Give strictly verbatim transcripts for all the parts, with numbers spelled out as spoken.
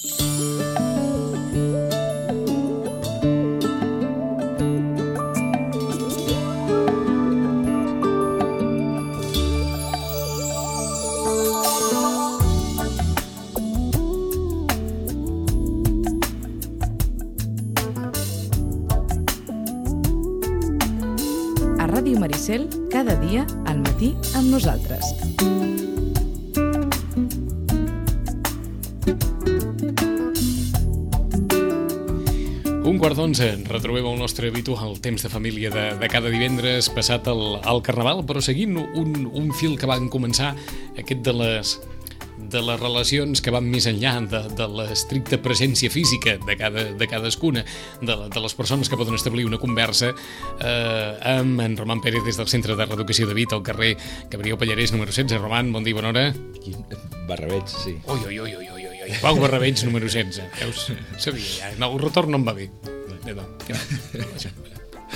Ràdio Maricel, cada dia al matí amb nosaltres. Un quart d'onze, retrobem el nostre habitual temps de família de, de cada divendres passat el, el Carnaval, però seguint un, un fil que van començar, aquest de les... de les relacions que van més enllà de, de l'estricta presència física de, cada, de cadascuna, de, de les persones que poden establir una conversa eh, amb en Roman Pérez des del Centre de Reeducació de Vit, al carrer Gabriel Pallarès, número setze. Roman, bon dia, bona hora. Barrabeig, sí. Ui, ui, ui, ui, ui, ui. Pau Barrabeig, número setze. Veus? Sabia ja. No, el retorn no em va bé. No, no.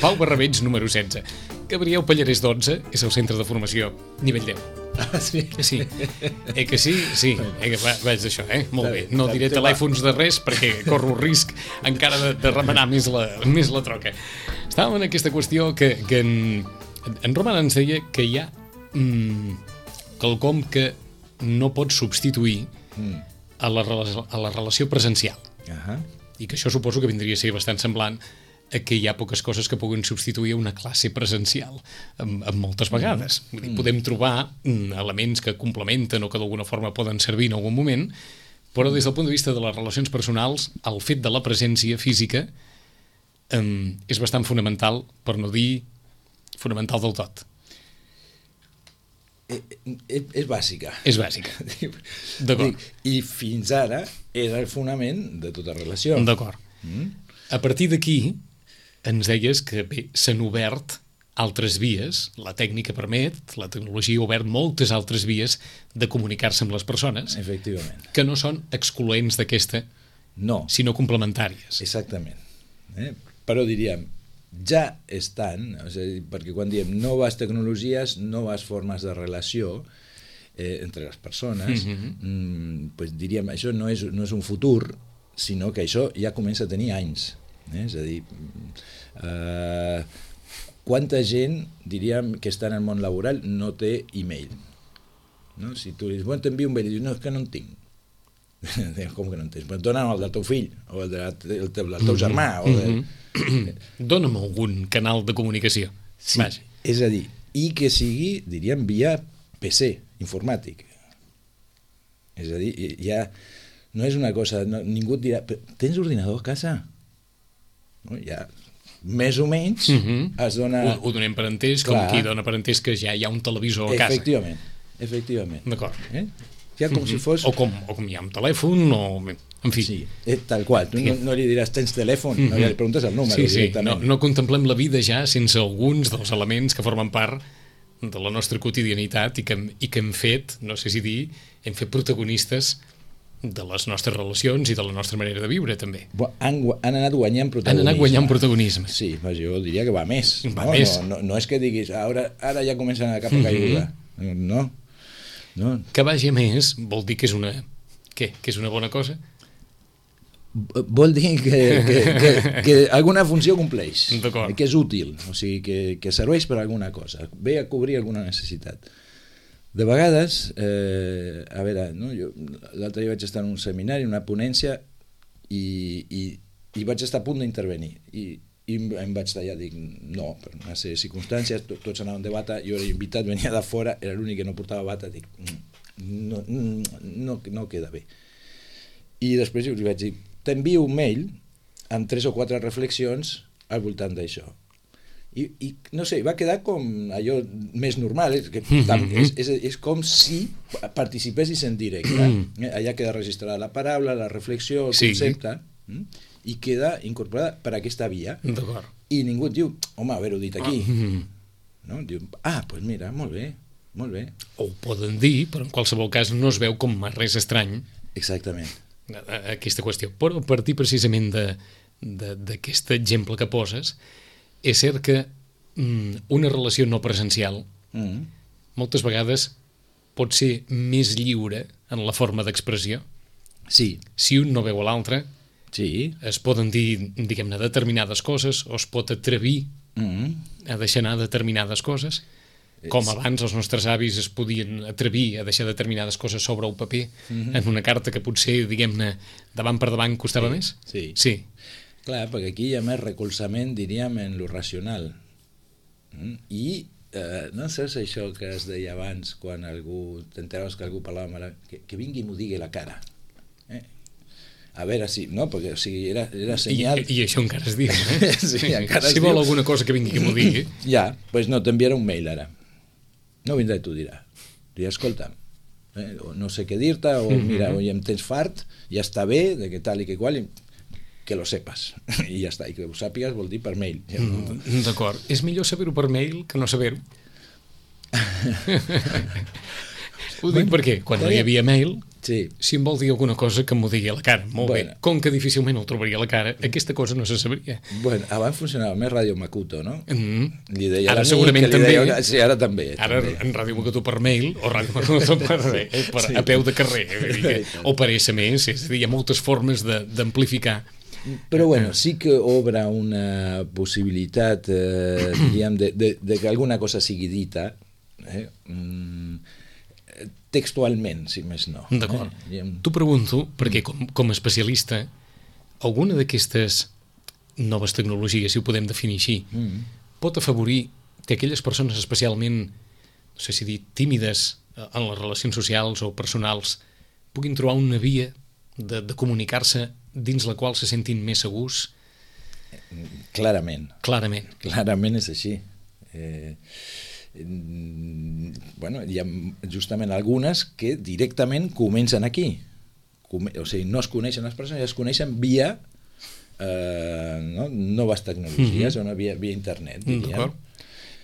Pau Barrabeig, número setze. Gabriel Pallarès, dotze, és el centre de formació nivell deu. Ah, sí? Sí. Eh que sí? Sí. Eh que va, vaig d'això, eh? Molt bé. No diré telèfons de res perquè corro el risc encara de, de remenar més la, més la troca. Estàvem en aquesta qüestió que, que en, en Roman ens deia que hi ha mm, quelcom que no pot substituir mm. a, la, a la relació presencial. Uh-huh. I que això suposo que vindria a ser bastant semblant a que hi ha poques coses que puguin substituir una classe presencial amb, amb moltes vegades. Vull dir, podem trobar elements que complementen o que d'alguna forma poden servir en algun moment, però des del punt de vista de les relacions personals, el fet de la presència física um, és bastant fonamental, per no dir fonamental del tot. És, és bàsica. És bàsica. D'acord. I fins ara era el fonament de tota relació. D'acord. Mm? A partir d'aquí, ens deies que bé, s'han obert altres vies, la tècnica permet, la tecnologia ha obert moltes altres vies de comunicar-se amb les persones. Efectivament. Que no són excloents d'aquesta, no, sinó complementàries. Exactament. Eh? Però diríem, ja estan, o sigui, perquè quan diem noves tecnologies, noves formes de relació eh, entre les persones, mm-hmm. mm, pues diríem, això no és, no és un futur, sinó que això ja comença a tenir anys. Eh? És a dir, eh, quanta gent, diríem, que està en el món laboral no té e-mail? No? Si tu dius, bueno, t'envio un mail, i dius, no, és que no en tinc. Com que no en tens? Però dona'm el del teu fill, o el, de, el, teu, el teu germà. O de... mm-hmm. Dóna'm algun canal de comunicació. Sí, Vaja. És a dir, i que sigui, diríem, via P C, informàtic. És a dir, ja... No és una cosa, no, ningú et dirà, tens ordinador a casa? No, ja, més o menys, mm-hmm. es dona... Ho, ho donem per entès, com qui dona per entès que ja hi ha un televisor a casa. Efectivament, efectivament. D'acord. Eh? Ja com mm-hmm. si fos... O com, o com hi ha un telèfon, o... En fi. Sí, eh, tal qual. Tu no, no li diràs, tens telèfon? Mm-hmm. No, ja li preguntes el número sí, sí. directament. No, no contemplem la vida ja sense alguns dels elements que formen part de la nostra quotidianitat i que, i que hem fet, no sé si dir, hem fet protagonistes de les nostres relacions i de la nostra manera de viure, també. Han, han anat guanyant protagonisme. Han anat guanyant protagonisme. Sí, jo diria que va més. Va no, més. No, no, no és que diguis, ara, ara ja comença a anar cap a caiguda. Mm-hmm. No, no. Que vagi més vol dir que és una... Què? Que és una bona cosa? Vol dir que, que, que, que alguna funció compleix. D'acord. Que és útil, o sigui, que, que serveix per alguna cosa. Ve a cobrir alguna necessitat. De vegades, eh, a veure, no, jo l'altre dia vaig estar en un seminari, en una ponència, i, i, i vaig estar a punt d'intervenir. I, i em vaig tallar, dic, no, per una sèrie de circumstàncies, to, tots anaven de bata, jo era invitat, venia de fora, era l'únic que no portava bata, dic, no, no, no queda bé. I després li vaig dir, t'envio un mail amb tres o quatre reflexions al voltant d'això. I, i no sé, va quedar com allò més normal, és, que, és, és, és com si participessis en directe. Eh? Allà queda registrada la paraula, la reflexió, el sí. concepte, eh? I queda incorporada per aquesta via. D'acord. I ningú et diu, home, haver-ho dit aquí. No? Diu, ah, doncs pues mira, molt bé, molt bé. O ho poden dir, però en qualsevol cas no es veu com res estrany. Exactament. Aquesta qüestió. Però a partir precisament d'aquest exemple que poses, és cert que mm, una relació no presencial mm. moltes vegades pot ser més lliure en la forma d'expressió. Sí. Si un no veu a l'altre, sí. es poden dir, diguem-ne, determinades coses, o es pot atrevir mm-hmm. a deixar anar determinades coses, com abans els nostres avis es podien atrevir a deixar determinades coses sobre el paper mm-hmm. en una carta que potser, diguem-ne, davant per davant costava sí. més? Sí. Sí. Clar, perquè aquí hi ha més recolzament, diríem, en lo racional. Mm? I eh, no saps això que es deia abans, quan algú, t'enteraves que algú parlava mal, que, que vingui i m'ho digui la cara. Eh? A veure si, no? Perquè o sigui, era, era senyal... I, I això encara es diu, eh? sí, encara si es vol diu. alguna cosa que vingui que m'ho digui. Ja, doncs pues no, t'enviarà un mail ara. No vindrà i t'ho dirà. Dirà, escolta, eh, no sé què dir-te, o mira, o ja em tens fart, ja està bé, de que tal i que qual, i que lo sepas. I ja està, i que ho sàpigues vol dir per mail. Ja no... D'acord. És millor saber-ho per mail que no saber-ho. Ho dic perquè quan no hi havia mail, sí. si em vol dir alguna cosa que m'ho digui a la cara. Molt bueno. bé. Com que difícilment el trobaria a la cara, aquesta cosa no se sabria. Bueno, abans funcionava més Ràdio Macuto, no? Mm. Li deia ara segurament també. Deia... Sí, ara també. Ara també. en Ràdio Macuto per mail o Ràdio Macuto per, eh, per sí. a peu de carrer. Que, o per esse eme esse. És a dir, hi ha moltes formes d'amplificar. Però bueno, sí que obre una possibilitat, eh, diríem, de, de, de que alguna cosa sigui dita, eh? Mm, textualment, si més no. D'acord. Eh? T'ho pregunto, perquè com, com a especialista, alguna d'aquestes noves tecnologies, si ho podem definir així, mm. pot afavorir que aquelles persones especialment, no sé si dir, tímides en les relacions socials o personals, puguin trobar una via de, de comunicar-se dins la qual se sentin més segurs? Clarament. Clarament. Clarament és així. Eh... Bueno, hi ha justament algunes que directament comencen aquí. Com, o sigui, no es coneixen les persones, es coneixen via eh, no, noves tecnologies, mm-hmm. o no, via, via internet, diríem.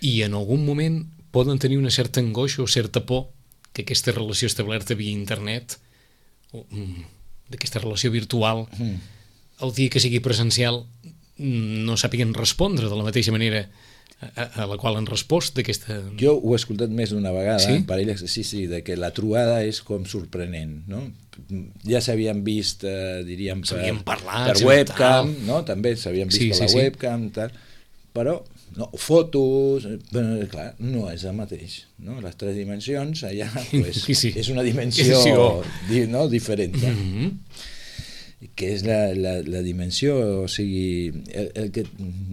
I en algun moment poden tenir una certa angoixa o certa por que aquesta relació establerta via internet, o d'aquesta relació virtual, mm. el dia que sigui presencial no sàpiguen respondre de la mateixa manera a, a la qual han respost d'aquesta... Jo ho he escoltat més d'una vegada, sí? En parelles, sí, sí, de que la trobada és com sorprenent, no? Ja s'havien vist, eh, diríem, per, parlat, per webcam, no? També s'havien vist sí, per sí, la sí. webcam, tal, però no, fotos, però, clar, no és el mateix, no? Les tres dimensions, allà, pues, sí, sí. és una dimensió sí, di, no? diferent. Mm-hmm. Que és la, la, la dimensió, o sigui, el, el que,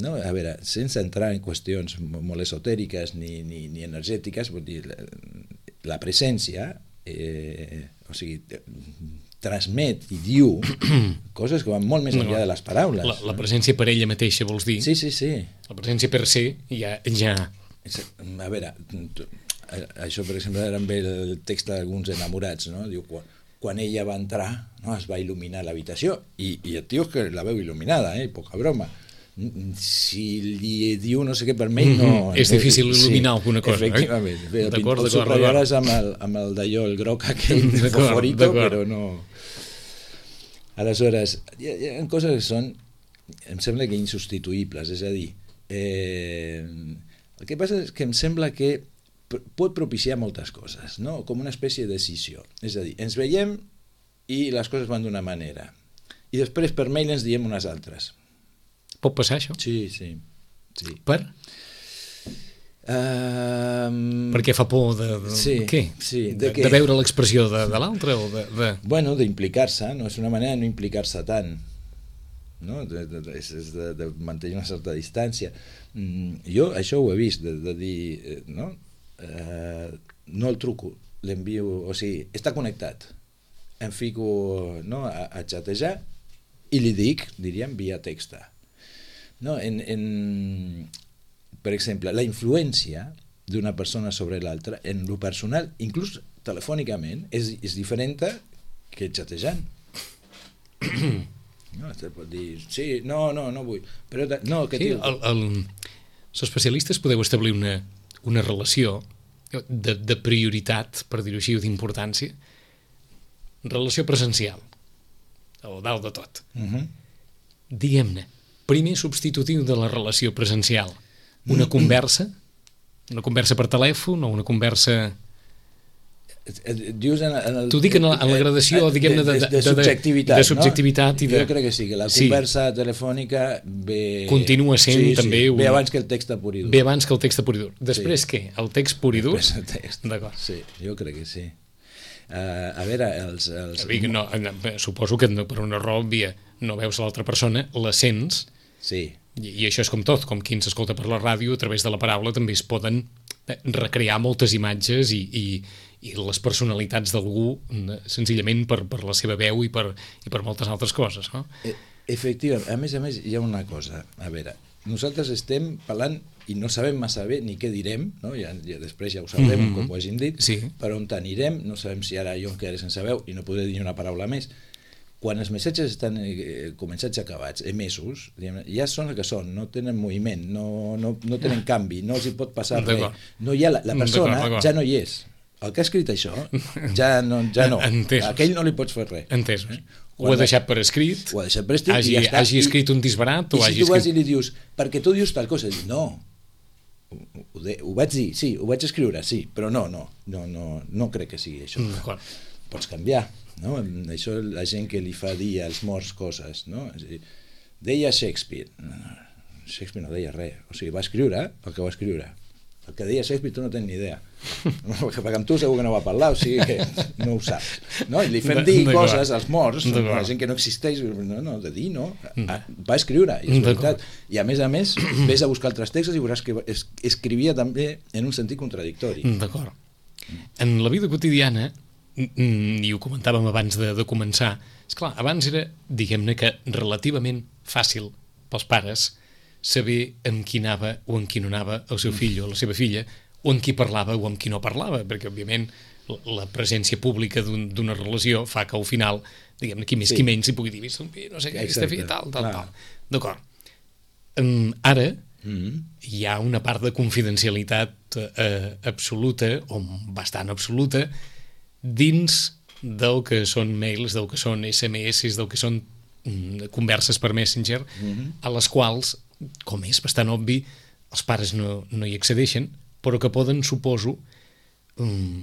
no, a veure, sense entrar en qüestions molt esotèriques ni, ni, ni energètiques, vull dir, la, la presència, eh, o sigui, transmet i diu coses que van molt més enllà de les paraules. La, la presència per ella mateixa, vols dir? Sí, sí, sí. La presència per ser ja... ja... A veure, això, per exemple, era amb el text d'alguns enamorats, no? Diu, quan, quan ella va entrar, no, es va il·luminar l'habitació, i, i el tio és que la veu il·luminada, eh? Poca broma. Si li diu no sé què per mail, no... Mm-hmm. És difícil il·luminar sí, alguna cosa, efectivament. eh? D'acord, d'acord. Ho subratllaràs amb el, amb el d'allò, el groc aquell favorito, però no... Aleshores, hi ha, hi ha coses que són, em sembla que insubstituïbles, és a dir, eh, el que passa és que em sembla que pot propiciar moltes coses, no? Com una espècie de decisió. És a dir, ens veiem i les coses van d'una manera. I després per mail ens diem unes altres. Pot passar això? Sí, sí. sí. Per? Um... Perquè fa por de... de sí, què? Sí, de, de, de veure l'expressió de, de l'altre? O de, de... Bueno, d'implicar-se, no? És una manera de no implicar-se tant. No? De, de, de, és de, de mantenir una certa distància. Mm, jo això ho he vist, de, de dir... No? Uh, no el truco, l'envio, o sigui, està connectat, em fico, no, a, a xatejar i li dic, diríem, via text. No, en, en, per exemple, la influència d'una persona sobre l'altra en lo personal, inclús telefònicament, és, és diferent que xatejant. No, te pot dir, sí, no, no, no vull, però no, que sí, el, el, els especialistes podeu establir una una relació de, de prioritat, per dir-ho així, o d'importància, relació presencial, o dalt de tot. Uh-huh. Diguem-ne, primer substitutiu de la relació presencial, una conversa, una conversa per telèfon o una conversa Dius en, en el... T'ho dic en la, en la gradació, diguem-ne, de, de, de, de subjectivitat, de subjectivitat no? I de... Jo crec que sí, que la sí. conversa telefònica ve... Continua sent sí, també... Sí, un... ve abans que el text pur i dur. Ve abans que el text pur i dur. Després sí. què? El text pur i dur? Després el text. D'acord. Sí, jo crec que sí. Uh, a veure, els... els... No, suposo que per una raó òbvia no veus l'altra persona, la sents, sí. i, i això és com tot, com qui ens escolta per la ràdio, a través de la paraula també es poden recrear moltes imatges i, i, i les personalitats d'algú senzillament per, per la seva veu i per, i per moltes altres coses, no? Efectivament, a més a més hi ha una cosa, a veure, nosaltres estem parlant i no sabem massa bé ni què direm, no? ja, ja després ja ho sabrem, mm-hmm. com ho hagin dit, sí. per on anirem, no sabem si ara jo em quedaré sense veu i no podré dir una paraula més. Quan els missatges estan eh, començats i acabats, emesos, diguem, ja són el que són, no tenen moviment, no, no, no tenen canvi, no els hi pot passar res. No hi ha, la, la persona ja no hi és. El que ha escrit això, ja no. Ja no. A aquell no li pots fer res. Entesos. Eh? Ho ha deixat per escrit, ho ha deixat per escrit hagi, i ja està. Hagi escrit un disbarat, i, o i hagi si tu vas escrit... i li dius, perquè tu dius tal cosa, dius, no, ho, de, ho vaig dir, sí, ho vaig escriure, sí, però no, no, no, no, no crec que sigui això. D'acord. Pots canviar, no? Això la gent que li fa dir als morts coses, no? És a dir, deia Shakespeare, Shakespeare no deia res, o sigui, va escriure el que va escriure. El que deia Shakespeare tu no tens ni idea, perquè amb tu segur que no va parlar, o sigui que no ho saps, no? I li fem dir coses als morts, la gent que no existeix, no, no, de dir, no? Va escriure, i és veritat, i a més a més ves a buscar altres textos i veuràs que escrivia també en un sentit contradictori. D'acord. En la vida quotidiana, i ho comentàvem abans de, de començar, esclar, abans era, diguem-ne que relativament fàcil pels pares saber amb qui anava o amb qui no anava el seu fill o la seva filla, o amb qui parlava o amb qui no parlava, perquè òbviament la presència pública d'una un, relació fa que al final, diguem-ne, qui més sí. qui menys hi pugui dir, no sé què, aquesta filla, tal, tal, tal. D'acord. Um, ara mm-hmm. hi ha una part de confidencialitat eh, absoluta, o bastant absoluta, dins del que són mails, del que són esse eme esse, del que són mm, converses per Messenger, mm-hmm. a les quals, com és bastant obvi, els pares no, no hi accedeixen, però que poden, suposo, um,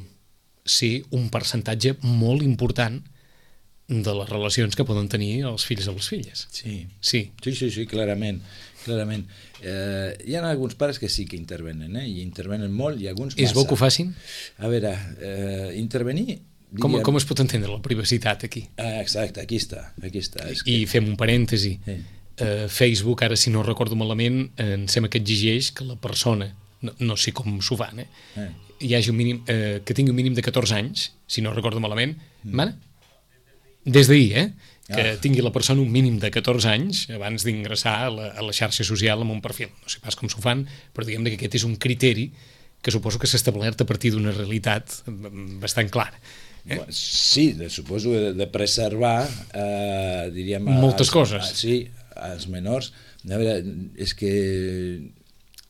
ser un percentatge molt important de les relacions que poden tenir els fills o les filles. Sí, sí, sí, sí, sí clarament. clarament. Eh, hi ha alguns pares que sí que intervenen, eh? I intervenen molt, i alguns massa. És bo que ho facin? A veure, eh, intervenir... Diríem... Com, com es pot entendre la privacitat aquí? Ah, exacte, aquí està. Aquí està. És I que... fem un parèntesi. Sí. Uh, Facebook, ara si no recordo malament, em sembla que exigeix que la persona, no, no sé com s'ho fan, eh? eh. hi hagi un mínim, eh, que tingui un mínim de catorze anys, si no recordo malament, mm. mana? Des d'ahir, eh? Que ah. tingui la persona un mínim de catorze anys abans d'ingressar a, la, a la xarxa social amb un perfil. No sé pas com s'ho fan, però diguem que aquest és un criteri que suposo que s'ha establert a partir d'una realitat bastant clara. Eh? Sí, suposo de, de preservar, eh, diríem... Moltes als, coses. A, sí, als menors. A veure, és que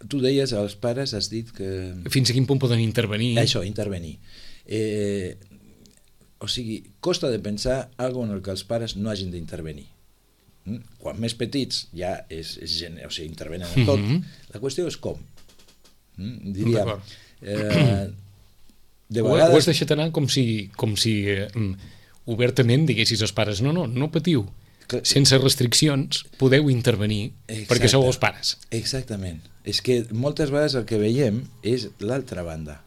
tu deies als pares, has dit que... Fins a quin punt poden intervenir? Això, intervenir. Eh, o sigui, costa de pensar alguna en el que els pares no hagin d'intervenir. Mm? Quan més petits ja és, és o sigui, intervenen en tot. Mm-hmm. La qüestió és com. Mm? Diria... Eh, de vegades... Ho has deixat anar com si, com si eh, obertament diguessis als pares no, no, no patiu. Sense restriccions podeu intervenir. Exacte. Perquè sou els pares. Exactament. És que moltes vegades el que veiem és l'altra banda,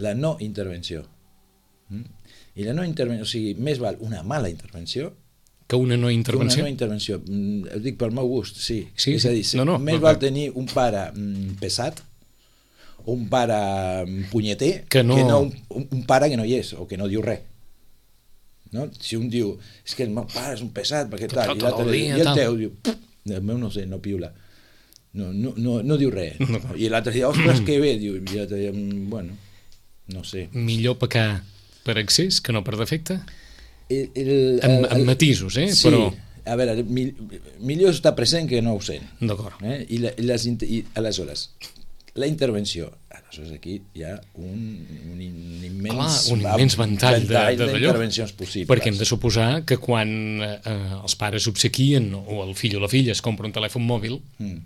la no intervenció. Mm? I la no intervenció, o sigui, més val una mala intervenció que una no intervenció. Una no intervenció. Mm, ho dic pel meu gust, sí. Sí, és a dir, no, no, més no, val tenir un pare mm, pesat o un pare punyeter que no, que no un, un pare que no hi és o que no diu res. No? Si un diu, és que el meu pare és un pesat perquè tal, i l'altre i el teu diu, el meu no sé, no piula, no, no, no, no diu res, no. I l'altre diu, ostres, que bé, diu, i l'altre diu, bueno, no sé. Millor pecar per excés que no per defecte? El, el, el, amb, amb matisos, eh? Sí, però... a veure, mi, millor estar present que no ausent. D'acord. Eh? I, la, i, les, i aleshores, la intervenció, aleshores aquí hi ha un, un immens, Clar, un immens ventall, ventall d'intervencions possibles. Perquè hem de suposar que quan eh, els pares obsequien o el fill o la filla es compra un telèfon mòbil, mm.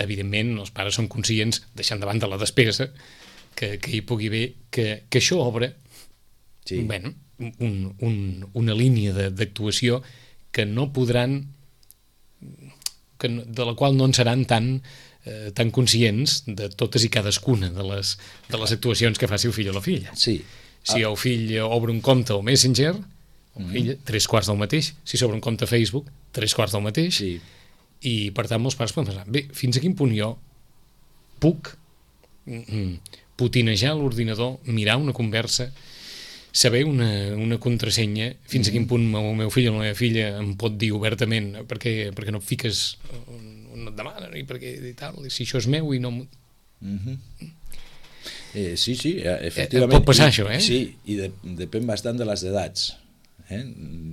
evidentment els pares són conscients, deixant de banda la despesa, que, que hi pugui haver, que, que això obre sí. bueno, un, un, una línia d'actuació que no podran, que no, de la qual no en seran tan, eh, tan conscients de totes i cadascuna de les, de les actuacions que faci el fill o la filla. Sí. Si el fill obre un compte al Messenger, el fill, tres quarts del mateix. Si s'obre un compte a Facebook, tres quarts del mateix. Sí. I, per tant, molts pares poden pensar, bé, fins a quin punt jo puc mm, putinejar l'ordinador, mirar una conversa, saber una, una contrasenya, fins a quin punt el meu fill o la meva filla em pot dir obertament perquè, perquè no et fiques on, on et demanen i perquè i tal, i si això és meu i no... Mm-hmm. Eh, sí, sí, efectivament. Eh, pot passar I, això, eh? Sí, i de, depèn bastant de les edats. Eh?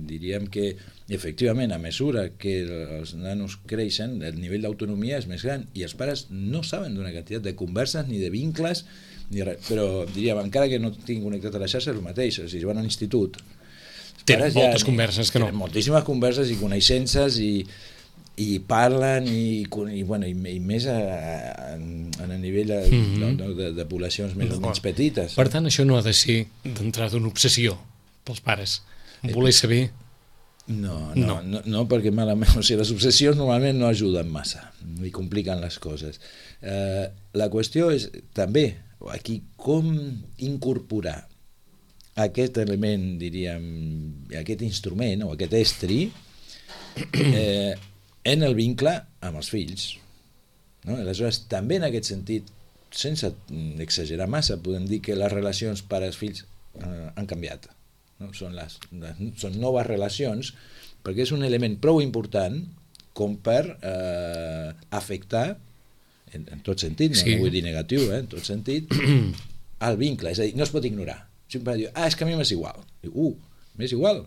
Diríem que, efectivament, a mesura que els nanos creixen, el nivell d'autonomia és més gran i els pares no saben d'una quantitat de converses ni de vincles, ni res. Però diríem, encara que no tinguin connectat a la xarxa, és el mateix. O sigui, si van a l'institut... Tenen moltes ja, converses que no. Tenen moltíssimes converses i coneixences i i parlen i, i, bueno, i, i més a, a, a nivell de, mm-hmm. de, de, de poblacions més o menys petites. Per tant, això no ha de ser d'entrada una obsessió pels pares. Voler saber... No, no, no, no, no perquè malament, o sigui, les obsessions normalment no ajuden massa i compliquen les coses. Eh, la qüestió és també aquí com incorporar aquest element, diríem, aquest instrument o aquest estri eh, en el vincle amb els fills. No? Aleshores, també en aquest sentit, sense exagerar massa, podem dir que les relacions pares-fills eh, han canviat. No? Són, les, les, són noves relacions, perquè és un element prou important com per eh, afectar, en, en tot sentit, no, sí. no vull dir negatiu, eh, en tot sentit, el vincle. És a dir, no es pot ignorar. Sempre diu, ah, és que a mi m'és igual. Diu, uh, m'és igual.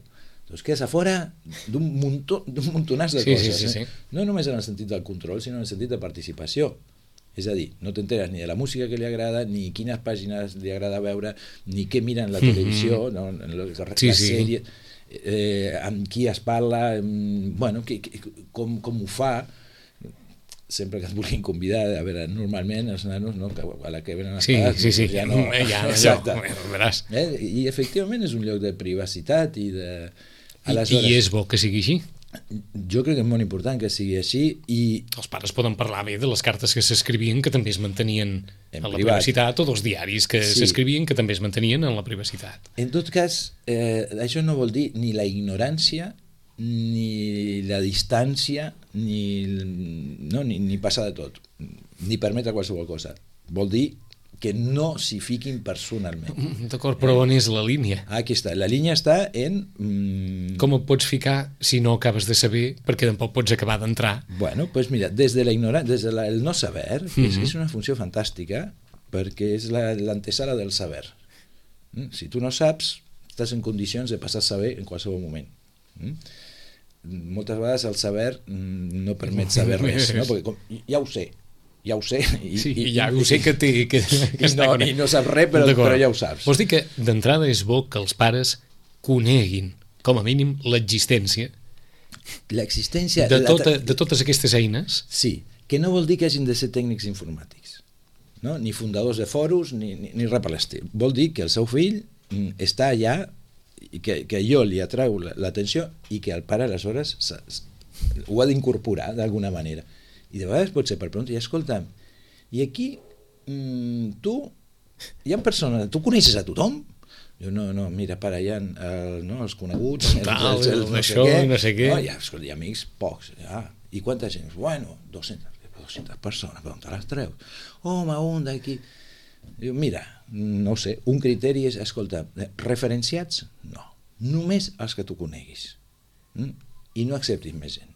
Doncs quedes a fora d'un muntó, d'un muntonàs de sí, coses. Sí, sí, sí. Eh? No només en el sentit del control, sinó en el sentit de participació. És a dir, no t'enteres ni de la música que li agrada, ni quines pàgines li agrada veure, ni què mira en la televisió, mm-hmm. no? en la, la sí, sèrie, sí. eh, amb qui es parla, amb, bueno, que, que, com, com ho fa, sempre que et vulguin convidar, a veure, normalment els nanos, no, a la que venen els sí, pares, sí, sí. ja no... Ja, exacte. Ja, veràs. Eh? I efectivament és un lloc de privacitat i de... Aleshores, I és bo que sigui així? Jo crec que és molt important que sigui així i... Els pares poden parlar bé de les cartes que s'escrivien que també es mantenien en, en la privat. privacitat, o dels diaris que sí. s'escrivien que també es mantenien en la privacitat. En tot cas, eh, això no vol dir ni la ignorància, ni la distància, ni, no, ni, ni passar de tot, ni permetre qualsevol cosa. Vol dir que no s'hi fiquin personalment. D'acord, però on és la línia? Aquí està, la línia està en... Mm... Com et pots ficar si no acabes de saber, perquè tampoc pots acabar d'entrar? Bueno, doncs pues mira, des de la ignorància, des de la, el no saber, mm-hmm. és, és una funció fantàstica, perquè és l'antesala del saber. Mm? Si tu no saps, estàs en condicions de passar a saber en qualsevol moment. Mm? Moltes vegades el saber no permet saber res, no? Perquè com, ja ho sé, ja ho sé i, sí, i ja ho sé que, té, que, que i, no, i no saps res, però, però ja ho saps. Vols dir que d'entrada és bo que els pares coneguin com a mínim l'existència l'existència de, tota, la... de totes aquestes eines? Sí, que no vol dir que hagin de ser tècnics informàtics, no? Ni fundadors de foros ni, ni, ni res per l'estil. Vol dir que el seu fill està allà i que, que jo li atrau l'atenció i que el pare aleshores ho ha d'incorporar d'alguna manera. I de vegades pot ser per preguntar, i escolta'm, i aquí mmm, tu, hi ha persones, tu coneixes a tothom? Jo, no, no, mira, pare, hi ha el, no, els coneguts, els, Tal, els, els, no, això, sé què, no sé què. No, hi ha, escolta, hi ha amics, pocs. Ah, i quanta gent? Bueno, dues-centes persones, per on te les treus? Home, un d'aquí. Diu, mira, no sé, un criteri és, escolta, referenciats? No, només els que tu coneguis. Mm? I no acceptis més gent.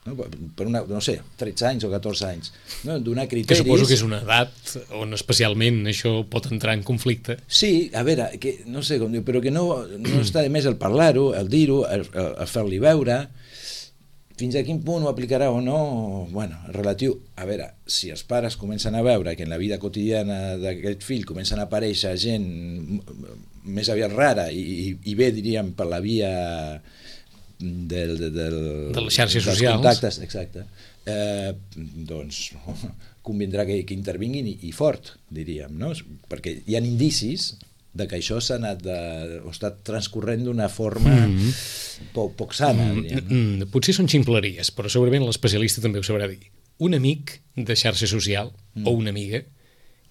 No, per una, no sé, tretze anys o catorze anys, no? Donar criteris... Que suposo que és una edat on especialment això pot entrar en conflicte. Sí, a veure, que, no sé com diu, però que no, no està de més el parlar-ho, el dir-ho, el, el, el fer-li veure, fins a quin punt ho aplicarà o no, bueno, relatiu, a veure, si els pares comencen a veure que en la vida quotidiana d'aquest fill comencen a aparèixer gent més aviat rara i, i, i bé, diríem, per la via... Del, del, del, de les xarxes dels socials, contactes, exacte, eh, doncs convindrà que, que intervinguin i, i fort, diríem, no? Perquè hi ha indicis de que això s'ha anat de, o està transcorrent d'una forma mm. poc, poc sana. Mm, mm, potser són ximpleries, però segurament l'especialista també ho sabrà dir. Un amic de xarxa social mm. o una amiga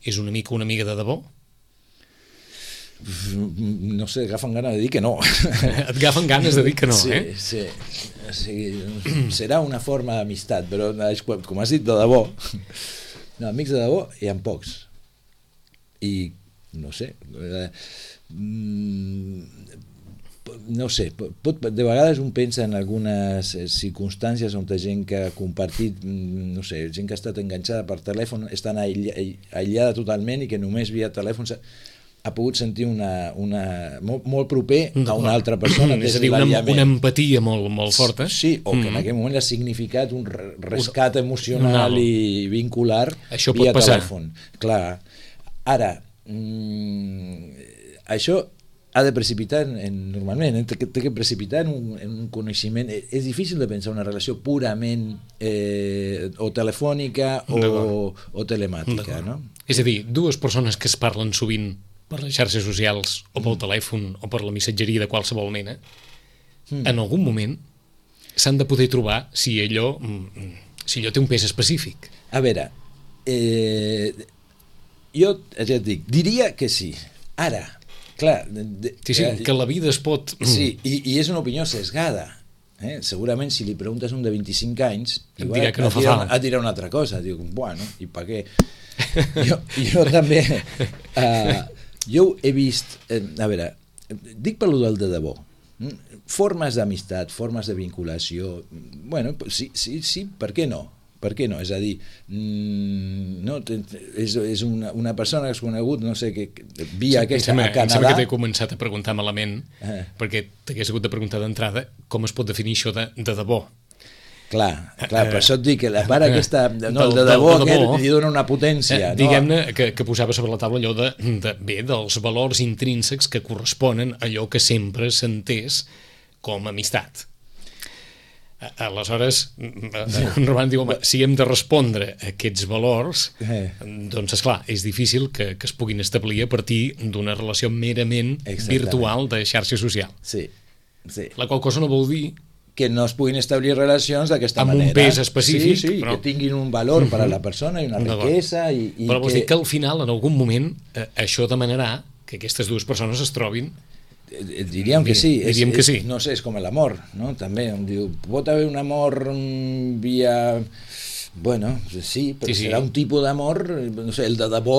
és un amic o una amiga de debò? No sé, agafen ganes de dir que no. Et agafen ganes de dir que no, sí, eh? Sí, o sigui, serà una forma d'amistat, però com has dit, de debò, no, amics de debò hi ha pocs. I no sé, eh, no sé, pot, de vegades un pensa en algunes circumstàncies on hi ha gent que ha compartit, no sé, gent que ha estat enganxada per telèfon, estan aïllada totalment i que només via telèfon ha pogut sentir una, una molt, molt proper a una altra persona. És a dir, una, una empatia molt, molt forta. Sí, o que en aquell moment ha significat un rescat emocional i vincular això via pot passar. Telèfon. Clar, ara, Mm, això ha de precipitar en, normalment, té que, té que precipitar en un, en un coneixement. És difícil de pensar una relació purament eh, o telefònica o, o telemàtica, no? És a dir, dues persones que es parlen sovint per les xarxes socials o pel mm. telèfon o per la missatgeria de qualsevol mena, mm. en algun moment s'han de poder trobar si allò, si allò té un pes específic. A veure, eh, jo ja et dic, diria que sí. Ara, clar... De, sí, sí, que la vida es pot... Sí, i, i és una opinió sesgada. Eh? Segurament si li preguntes a un de vint-i-cinc anys et dirà que no fa falta. Et dirà una altra cosa. Diu, bueno, i per què? jo, jo també... Uh, jo he vist... Eh, a veure, dic per lo del de debò. Formes d'amistat, formes de vinculació... Bueno, sí, sí, sí, per què no? Per què no? És a dir, no, és, és una, una persona que has conegut, no sé, que via sí, aquesta a Canadà... Em sembla que t'he començat a preguntar malament, eh. perquè t'hagués hagut de preguntar d'entrada com es pot definir això de, de debò. Clar, clar, per això et dic que la part aquesta, no, el de debò, de debò li dona una potència. Eh, Diguem-ne que, que posava sobre la taula allò de, de, bé, dels valors intrínsecs que corresponen a allò que sempre s'entès com amistat. Aleshores, en Roman diu, home, si hem de respondre a aquests valors, eh. doncs, esclar, és difícil que, que es puguin establir a partir d'una relació merament virtual de xarxa social. Sí, sí. La qual cosa no vol dir que no es puguin establir relacions d'aquesta manera. Amb un pes específic. Sí, sí, però... que tinguin un valor per a la persona i una riquesa. I, i però vols que... dir que al final, en algun moment, eh, això demanarà que aquestes dues persones es trobin. Diríem que sí, és, Diríem que sí. És, no sé, és com l'amor, no? També em diu, pot haver un amor via... Bueno, sí, però sí, sí. Serà un tipus d'amor, no sé, el de debò,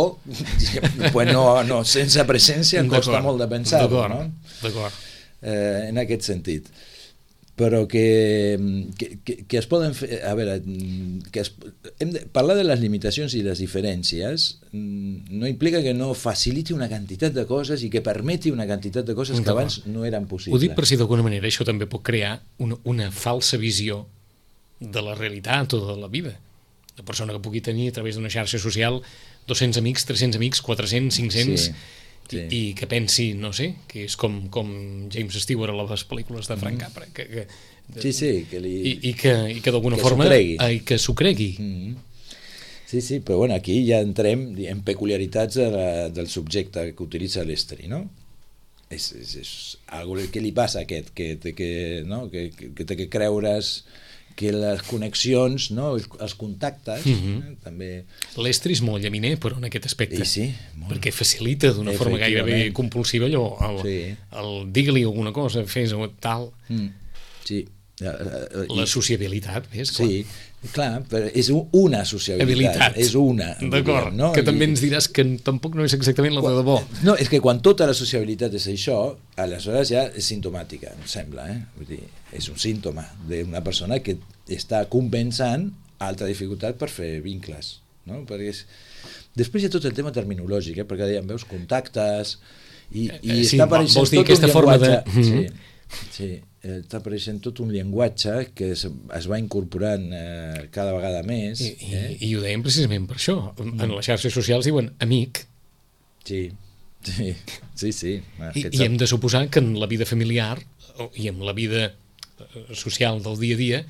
pues no, no, sense presència costa molt de pensar-ho, no? D'acord. Eh, en aquest sentit. Però que, que, que, que es poden fer... A veure, que es, hem de, parlar de les limitacions i les diferències no implica que no faciliti una quantitat de coses i que permeti una quantitat de coses que abans no eren possibles. Ho dic per si d'alguna manera això també pot crear una, una falsa visió de la realitat o de la vida. La persona que pugui tenir a través d'una xarxa social dos-cents amics, tres-cents amics, quatre-cents, cinc-cents... Sí. Sí. I, i que pensi, no sé, que és com, com James Stewart a les pel·lícules de Frank Capra, que, que, sí, sí, que li... i, i que, i que d'alguna forma i que s'ho cregui. Mm-hmm. Sí, sí, però bueno, aquí ja entrem en peculiaritats de la, del subjecte que utilitza l'estri, no? És, és, és algo que li passa a aquest, que té que, no? que, que, que té que creure's que les connexions, no? Els contactes, mm-hmm. eh? també... L'estri és molt llaminer, però en aquest aspecte. I sí, molt. Perquè facilita d'una forma gairebé compulsiva allò, el, sí. el dir-li alguna cosa, fes o tal. Mm. Sí. La sociabilitat, ves? Sí, clar, però és una sociabilitat. Habilitat. És una. D'acord, no? Que I... també ens diràs que tampoc no és exactament la de debò. No, és que quan tota la sociabilitat és això, aleshores ja és simptomàtica, em sembla, eh? Vull dir, és un símptoma d'una persona que està compensant altra dificultat per fer vincles, no? Perquè és... Després hi ha tot el tema terminològic, eh? Perquè dèiem, veus, contactes i, i sí, està apareixent vols dir tot aquesta un forma llenguatge... de... Sí, sí, està apareixent tot un llenguatge que es, es va incorporant eh, cada vegada més. I, eh? i, I ho dèiem precisament per això. En les xarxes socials diuen amic. Sí, sí, sí. sí. I, I hem de suposar que en la vida familiar i en la vida social del dia a dia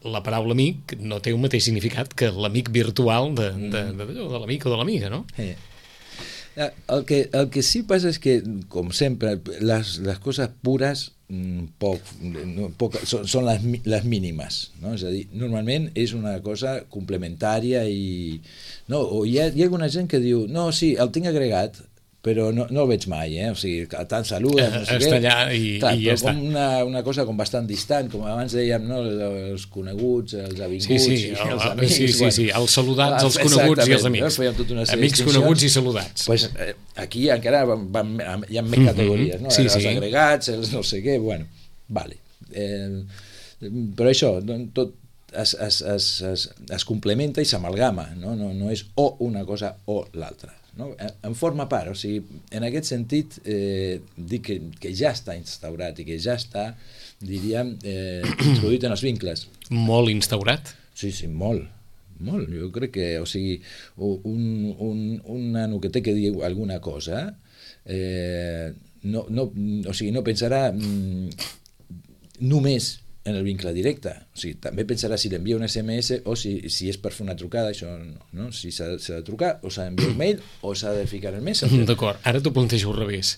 la paraula amic no té un mateix significat que l'amic virtual de, de, de, de, de l'amic o de l'amiga, no? Eh. El que, el que sí passa és que, com sempre, les, les coses pures poc, no, poc, són, són les, les mínimes, no? És a dir, normalment és una cosa complementària i... No, o hi ha, hi ha alguna gent que diu no, sí, el tinc agregat, però no, no el veig mai, eh? O sigui, tant saluda, no sé està què. Allà i, Clar, i ja però està. Com una, una cosa com bastant distant, com abans dèiem, no? Els coneguts, els avinguts, sí, sí, i el, els amics. Sí, sí, bueno. sí, els saludats, els coneguts i els amics. No? Amics, coneguts i saludats. Pues, eh, aquí encara van, van, hi ha més categories, no? Sí, els sí. agregats, els no sé què, bueno, vale. Eh, però això, tot es, es, es, es, es complementa i s'amalgama, no? No, no és o una cosa o l'altra. No? En forma part, o sigui, en aquest sentit eh, dic que, que ja està instaurat i que ja està, diríem, eh, introduït en els vincles. Molt instaurat? Sí, sí, molt, molt. Jo crec que, o sigui, un, un, un nano que té que dir alguna cosa, eh, no, no, o sigui, no pensarà mm, només en el vincle directe, o sigui, també pensarà si l'envia un esse eme esse o si, si és per fer una trucada, això no, no? Si s'ha de trucar o s'ha d'enviar un mail o s'ha de ficar el Messenger. D'acord, ara t'ho plantejo al revés.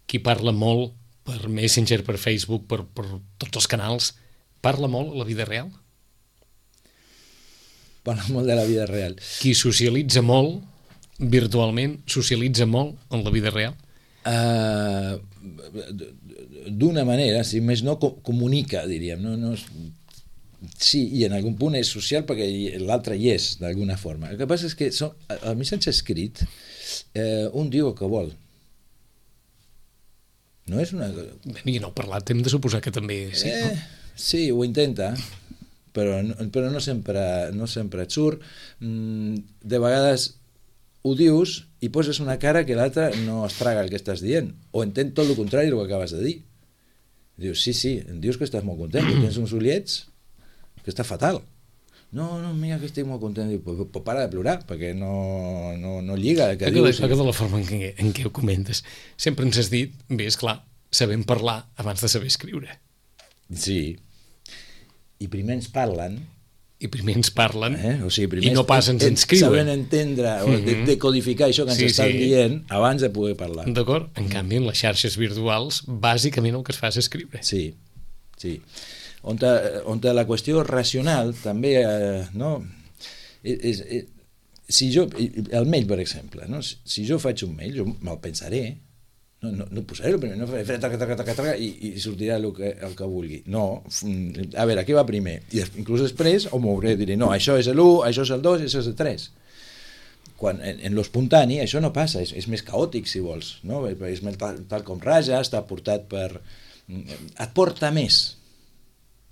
Qui parla molt per Messenger, per Facebook, per, per tots els canals, parla molt a la vida real? Parla molt de la vida real. Qui socialitza molt virtualment, socialitza molt en la vida real? Uh, d'una manera, si més no comunica, diríem, no, no, sí, i en algun punt és social perquè l'altre hi és d'alguna forma. El que passa és que són, el missatge escrit eh, un diu el que vol, no és una... I no parlat, hem de suposar que també sí, eh, no? Sí, ho intenta, però no, però no sempre no sempre et surt. De vegades ho dius i poses una cara que l'altre no es traga el que estàs dient, o entén tot el contrari del que acabes de dir. Dius, sí, sí, em dius que estàs molt content, que tens uns ullets que està fatal. No, no, mira que estic molt content. Diu, pues, pues para de plorar, perquè no, no, no lliga el que dius. De la forma en què, en què ho comentes. Sempre ens has dit, bé, esclar, sabem parlar abans de saber escriure. Sí. I primer ens parlen i primer ens parlen eh? O sigui, primer i no pas ens inscriuen. Saben entendre o mm-hmm. decodificar això que ens sí, estan sí. dient abans de poder parlar. D'acord? En canvi, en les xarxes virtuals, bàsicament el que es fa és escriure. Sí, sí. On, ta, on ta la qüestió racional també, eh, no? És, és, si jo, el mail, per exemple, no? Si jo faig un mail, jo me'l pensaré, no, no, no posaré el primer, no faré taca, taca, taca, taca, i, i sortirà el que, el que vulgui. No, a veure, què va primer? I inclús després ho mouré, diré, no, això és l'u, això és el dos, això és el tres. Quan en, en l'espontani això no passa, és, és més caòtic, si vols, no? És tal, tal com raja, està portat per... et porta més.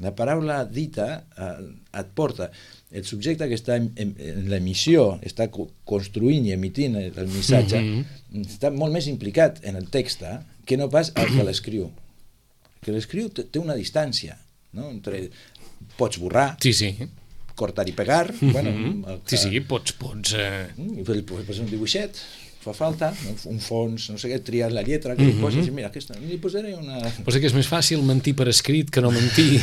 La paraula dita eh, et porta. El subjecte que està en, en, en l'emissió, està co construint i emitint el, el missatge, mm-hmm. està molt més implicat en el text que no pas el que l'escriu. Que l'escriu té, té una distància, no? Entre, pots borrar, sí, sí. cortar i pegar, mm-hmm. bueno, que, sí, sí, pots... pots eh... pots posar un dibuixet, fa falta, un fons, no sé què, triar la lletra, que mm-hmm. li poses, mira, aquesta, li posaré una... Posa que és més fàcil mentir per escrit que no mentir.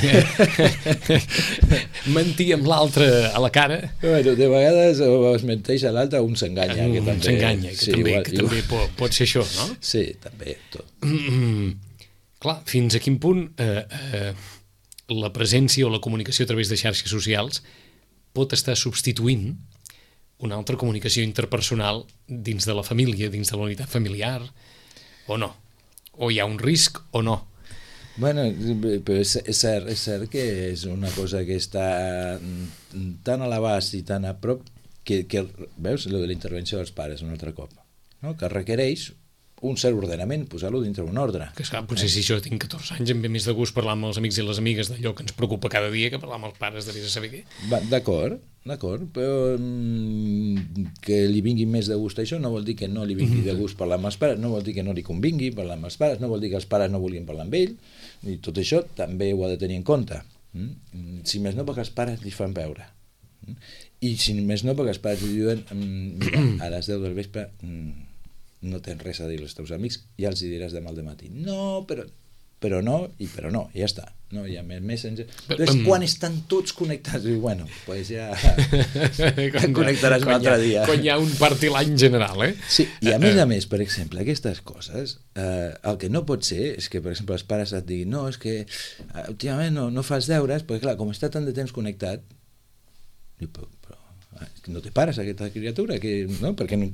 Mentir amb l'altre a la cara. Bueno, de vegades es menteix a l'altre, un s'enganya. Un s'enganya, que, sí, també, igual, que igual. també pot, pot ser això, no? Sí, també, tot. Mm-hmm. Clar, fins a quin punt eh, eh, la presència o la comunicació a través de xarxes socials pot estar substituint una altra comunicació interpersonal dins de la família, dins de la unitat familiar, o no? O hi ha un risc o no? Bueno, però és, és, cert, és cert que és una cosa que està tan a l'abast i tan a prop que, que veus, lo de la intervenció dels pares un altre cop, no? Que requereix un cert ordenament, posar-lo dintre un ordre. Que esclar, potser si jo tinc catorze anys em ve més de gust parlar amb els amics i les amigues d'allò que ens preocupa cada dia que parlar amb els pares de vés a saber què. D'acord, d'acord, però mm, que li vingui més de gust això no vol dir que no li vingui de gust parlar amb els pares, no vol dir que no li convingui parlar amb els pares, no vol dir que els pares no vulguin parlar amb ell, i tot això també ho ha de tenir en compte. Mm? Si més no perquè els pares li fan veure. Mm? I si més no perquè els pares li diuen mira, a les deu del vespre mm, no tens res a dir als teus amics, ja els hi diràs demà al matí. No, però però no, i però no, i ja està. No hi ha més Messenger. Entonces, quan estan tots connectats, diu, bueno, pues ja connectaràs un altre dia. Quan hi ha un partit l'any general, eh? Sí, i a més a més, per exemple, aquestes coses, eh, el que no pot ser és que, per exemple, els pares et diguin, no, és que uh, últimament no, no fas deures, perquè clar, com està tant de temps connectat, diu, però, però no te pares aquesta criatura, que, no? Perquè no,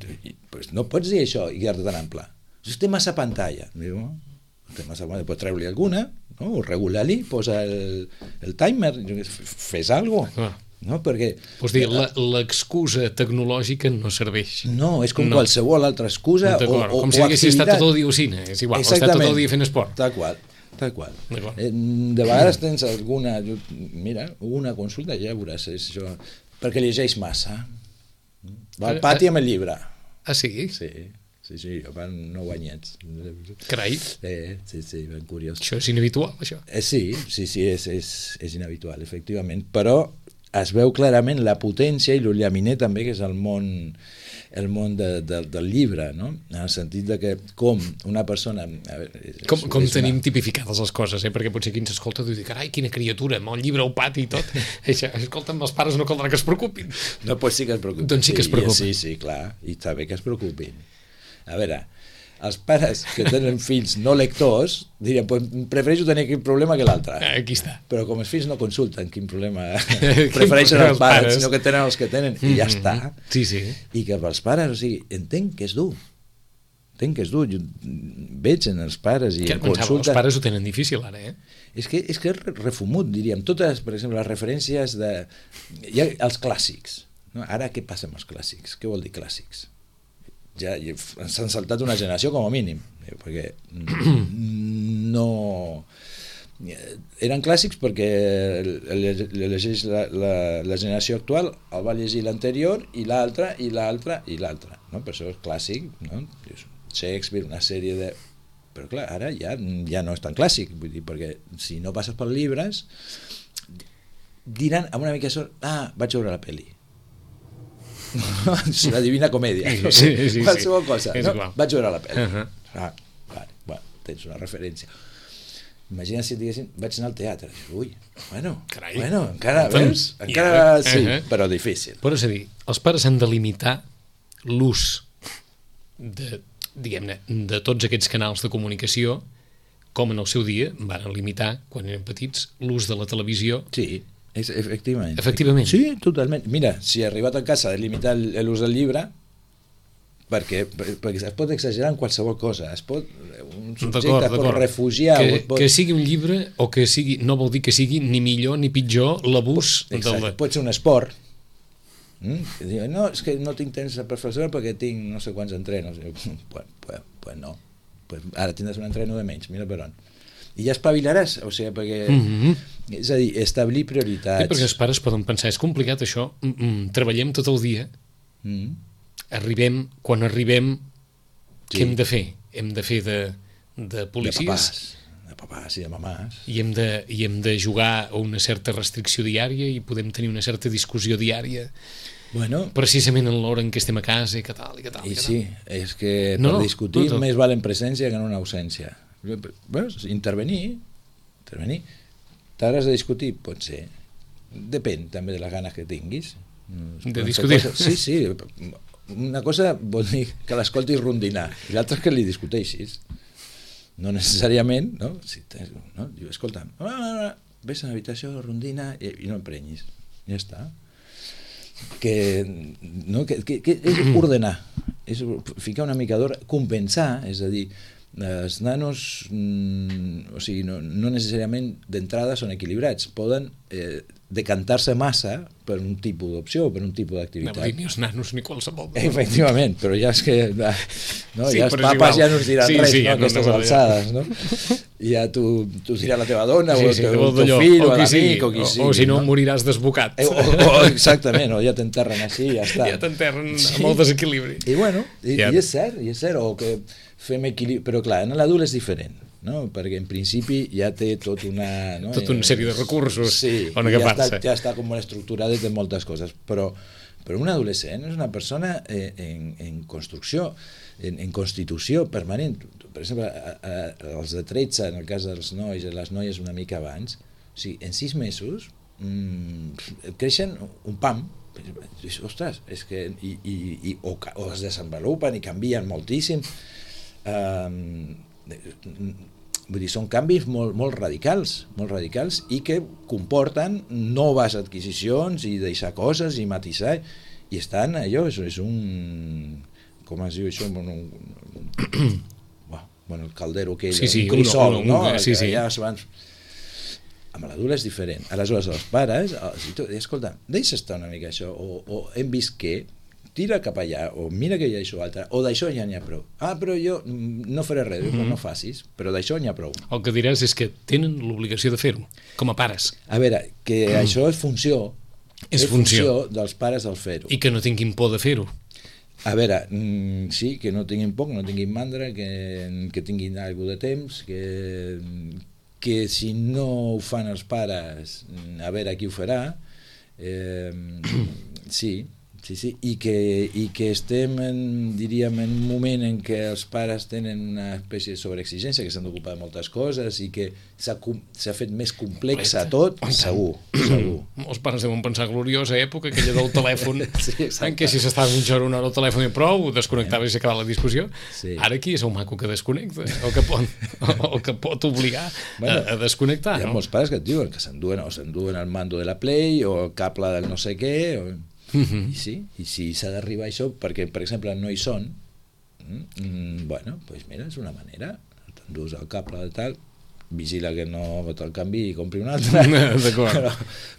pues no pots dir això i quedar-te tan ample. Si té massa pantalla, diu, no? Té massa pantalla, pots treure-li alguna, no? O regular-li, posa el, el timer, fes alguna cosa. Ah. No? Perquè vols dir, l'excusa tecnològica no serveix. No, és com no. qualsevol altra excusa o, o, com si haguessis estat tot el dia ocina, és igual, has estat tot el dia fent esport. Tal qual, tal qual. De vegades tens alguna, mira, una consulta, ja veuràs, és això, perquè llegeix massa. Va al pati amb el llibre. Ah, sí? Sí. Sí, sí, jo fan nou anyets. Carai. Eh, sí, sí, ben curiós. Això és inhabitual, això? Eh, sí, sí, sí, és, és, és inhabitual, efectivament, però es veu clarament la potència i el llaminer també, que és el món, el món de, de, del llibre, no? En el sentit de que com una persona... A veure, és, com com és tenim una... tipificades les coses, eh? Perquè potser qui ens escolta diu, carai, quina criatura, amb el llibre al pati i tot. Escolta'm, els pares no caldrà que es preocupin. No, doncs sí que es preocupin. Doncs sí que es preocupin. Sí, sí, clar, i està bé que es preocupin. A veure, els pares que tenen fills no lectors dirien, pues, prefereixo tenir aquest problema que l'altre. Aquí està. Però com els fills no consulten quin problema prefereixen els pares, sinó que tenen els que tenen, i ja està. Sí, sí. I que pels pares, o sigui, entenc que és dur. Entenc que és dur. Jo veig en els pares i que, en consulta... Els pares ho tenen difícil ara, eh? És que és que és refumut, diríem. Totes, per exemple, les referències de... Hi ha els clàssics. No? Ara què passa amb els clàssics? Què vol dir clàssics? Ja s'han saltat una generació com a mínim, perquè no eren clàssics perquè llegeix la, la, la generació actual, el va llegir l'anterior i l'altra i l'altra i l'altra, no? Per això és clàssic, no? Shakespeare, una sèrie de... Però clar, ara ja, ja no és tan clàssic, vull dir, perquè si no passes per llibres diran amb una mica de sort, ah, vaig veure la pel·li. És la Divina Comèdia, no sé, sí, sí, qualsevol cosa, sí. No? Vaig veure la pel·li. Uh-huh. Ah, vale, bueno, tens una referència. Imagina si et diguessin, vaig anar al teatre. Ui, bueno, Carai. bueno encara, veus? Encara sí, uh-huh. Però difícil. Però és a dir, els pares han de limitar l'ús de, diguem-ne, de tots aquests canals de comunicació, com en el seu dia van limitar, quan eren petits, l'ús de la televisió. Sí. És, efectivament. Efectivament. Sí, totalment. Mira, si he arribat a casa de limitar l'ús del llibre, perquè, perquè es pot exagerar en qualsevol cosa, es pot, un subjecte es pot refugiar... Que, pot... que sigui un llibre o que sigui, no vol dir que sigui ni millor ni pitjor l'abús del... Pot ser un esport. Mm? Diu, no, és que no tinc temps per fer perquè tinc no sé quants entrenos. Pues, pues, pues no. Pues ara tindràs un entreno de menys, mira per on. I ja espavilaràs, o sigui, perquè... Mm-hmm. És a dir, establir prioritats... Sí, perquè els pares poden pensar, és complicat això, mm-hmm. treballem tot el dia, mm-hmm. arribem, quan arribem, sí. Què hem de fer? Hem de fer de, de policies... De papàs, de papàs i de mamàs. I hem de, i hem de jugar a una certa restricció diària i podem tenir una certa discussió diària... Bueno, precisament en l'hora en què estem a casa i que tal, i que tal, i que sí, tal. És que no, per discutir no, no. més val en presència que en una ausència. Veus? Intervenir, intervenir. T'hauràs de discutir? Pot ser. Depèn també de les ganes que tinguis. De discutir? Cosa, sí, sí. Una cosa vol dir que l'escoltis rondinar i l'altra és que li discuteixis. No necessàriament, no? Si tens, no? Diu, escolta, no, no, no, ves a l'habitació, rondina i, i no emprenyis. Ja està. Que, no, que, que, que és ordenar, és ficar una mica d'ordre, compensar, és a dir, els nanos mm, o sigui, no, no necessàriament d'entrada són equilibrats, poden eh, decantar-se massa per un tipus d'opció o per un tipus d'activitat. No, ni els nanos ni qualsevol. Efectivament, però ja és que no, sí, ja els papes ja no ens diran sí, res, sí, no, ja aquestes no, no, alçades, no? I ja tu, tu dirà la teva dona sí, o el sí, teu, teu fill o, o l'amic o qui o, sigui. O si no, no? moriràs desbocat. Eh, o, o, exactament, o ja t'enterren així i ja està. Ja t'enterren sí. amb molt desequilibri. I bueno, i, ja. i és cert, i és cert, o que fem equilibri, però clar, en l'adult és diferent, no? Perquè en principi ja té tot una... No? Tota una sèrie de recursos sí, on agafarse. Ja està, ja està com estructurada de moltes coses, però però un adolescent és una persona eh, en, en construcció, en, en constitució permanent. Per exemple, a, a, els de tretze, en el cas dels nois i les noies una mica abans, o sigui, en sis mesos mmm, creixen un pam. Ostres, és que i, i, i, o, o es desenvolupen i canvien moltíssim. Um, vull dir, són canvis molt, molt radicals, molt radicals i que comporten noves adquisicions i deixar coses i matisar, i estan allò, és, és un, com es diu això, un, un, un, bueno, el caldero aquell, sí, sí, un crisol, uno, uno, no? Un, sí, sí. Ja van... Amb l'adult és diferent. Aleshores, els pares, si tu, escolta, deixa estar una mica això, o, o hem vist que, tira cap allà, o mira que hi ha això altre, o d'això ja n'hi ha prou. Ah, però jo no faré res, mm-hmm. no facis, però d'això n'hi ha prou. El que diràs és que tenen l'obligació de fer-ho, com a pares. A veure, que mm. això és funció, és, és funció. funció dels pares del fer-ho. I que no tinguin por de fer-ho. A veure, mm, sí, que no tinguin por, que no tinguin mandra, que, que tinguin alguna de temps, que... que si no ho fan els pares, a veure qui ho farà, eh, sí, sí, sí, i que, i que estem, en, diríem, en un moment en què els pares tenen una espècie de sobreexigència, que s'han d'ocupar de moltes coses i que s'ha fet més complex a tot, segur, segur. Els pares deuen pensar gloriosa època, aquella del telèfon, sí, en què si s'estava mitja hora una hora al telèfon i prou, desconnectava i s'acabava la discussió. Sí. Ara aquí és un maco que desconnecta, o que pot, o que pot obligar bueno, a, a desconnectar. Hi ha no? molts pares que et diuen que s'enduen, o s'enduen el mando de la Play o el cable del no sé què, o... Uh-huh. I sí, i si s'ha d'arribar a això, perquè per exemple no hi són, mm, bueno, doncs pues mira, és una manera, t'endús el cable de tal, vigila que no te'l canvi i compri un altre. D'acord. Però,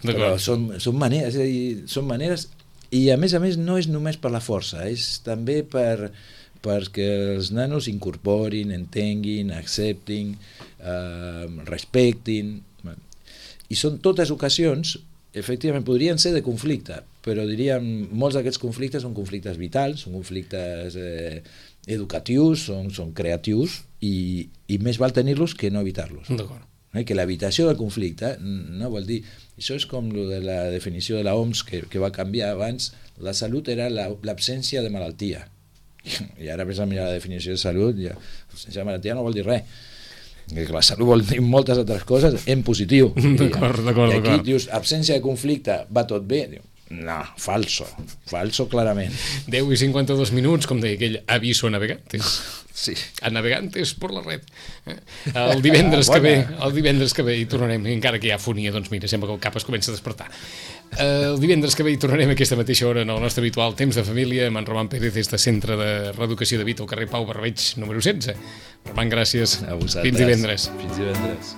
però són, són maneres, és a dir, són maneres, i a més a més no és només per la força, és també per perquè els nanos incorporin, entenguin, acceptin, eh, respectin, i són totes ocasions, efectivament, podrien ser de conflicte, però diríem, molts d'aquests conflictes són conflictes vitals, són conflictes eh, educatius, són, són creatius, i, i més val tenir-los que no evitar-los. D'acord. Eh, que l'evitació del conflicte no vol dir... Això és com lo de la definició de la O M S que, que va canviar abans. La salut era l'absència de malaltia. I ara ves a mirar la definició de salut, ja, l'absència de malaltia no vol dir res. Que la salut vol dir moltes altres coses en positiu. D'acord, d'acord. I aquí dius, absència de conflicte, va tot bé? Diu, no, falso, falso clarament. deu i cinquanta-dos minuts, com deia aquell aviso a navegantes. Sí. A navegantes per la red. El divendres ah, que ve, el divendres que ve hi tornarem, encara que hi ha fonia, doncs mira, sembla que el cap es comença a despertar. El divendres que ve hi tornarem a aquesta mateixa hora en el nostre habitual Temps de Família amb en Roman Pérez des de Centre de Reeducació de Vita al carrer Pau Barbeig número setze. Roman, gràcies. A vosaltres. Fins divendres. Fins divendres.